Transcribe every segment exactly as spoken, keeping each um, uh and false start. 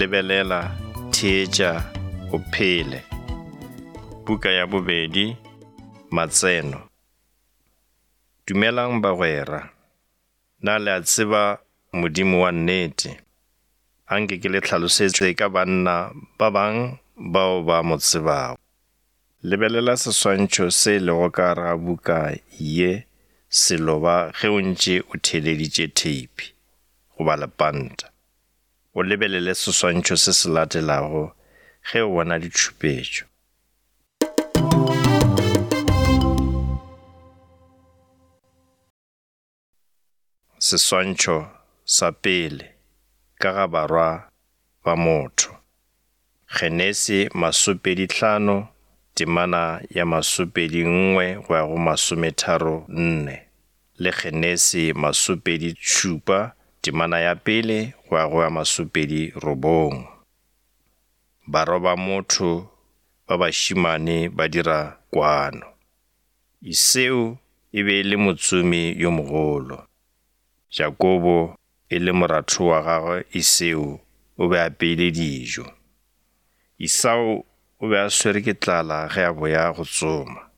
Lebelela, theetša, o phele. Buka ya bobedi, Matseno. Dumelang bagwera. Na le a tseba Modimo wa nnete? Anke ke le hlalosetše ka banna ba bang bao ba mo tsebago. Lebelela seswantšho se lego ka gare ga buka ye seloba ge o ntše o theeleditše theipi goba lepanta. O lebelele seswantšho se se latelago ge o bona ditšhupetšo. Seswantšho sa pele ka ga barwa ba motho. Genesi masopedi hlano temana ya masopedi nngwe go ya go masometharo nne le Genesi masopedi šupa temana ya pele go ya go ya masopedi robong. Barwa ba motho ba bašemane ba dira kwano. Esau e be e le motsomi yo mogolo. Jakobo e le moratho wa gagwe Esau o be a apeile dijo. Esau o be a swere ke tlala ge a boya go tsoma.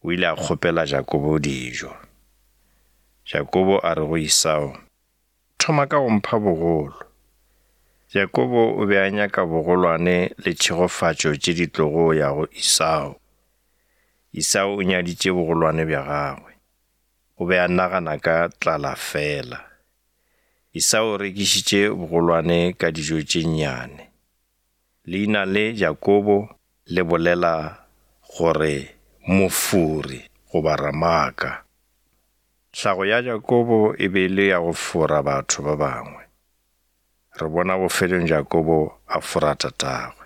O ile a kgopela Jakobo dijo. Jakobo a re go Esau, thoma ka go mpha bogolo. Jakobo o be a nyaka bogolwane le tšhegofatšo tše di tlogo ya go Esau. Esau o nyaditše bogolwane bja gagwe. O be a nagana ka tlala fela. Esau o rekišitše bogolwane ka dijo tše nnyane. Leina le Jakobo le bolela gore mofori goba ramaka. Hlago ya Jakobo e be e le ya go fora batho ba bangwe. Re bona bofelong Jakobo a fora tatagwe.